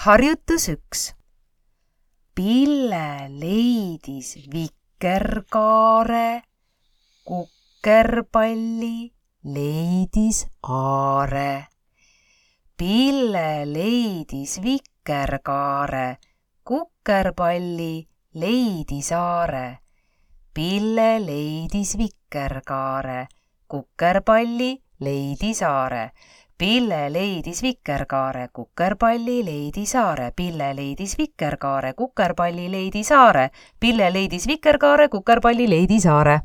Harjutus 1. Pille leidis vikerkaare, kukerpalli leidis aare. Pille leidis vikerkaare, kukerpalli leidis aare. Pille leidis vikerkaare, kukerpalli leidis aare. Pille leidis vikerkaare, kukerpalli leidis aare. Pille leidis vikerkaare, kukerpalli leidis aare. Pille leidis vikerkaare, kukerpalli leidis aare.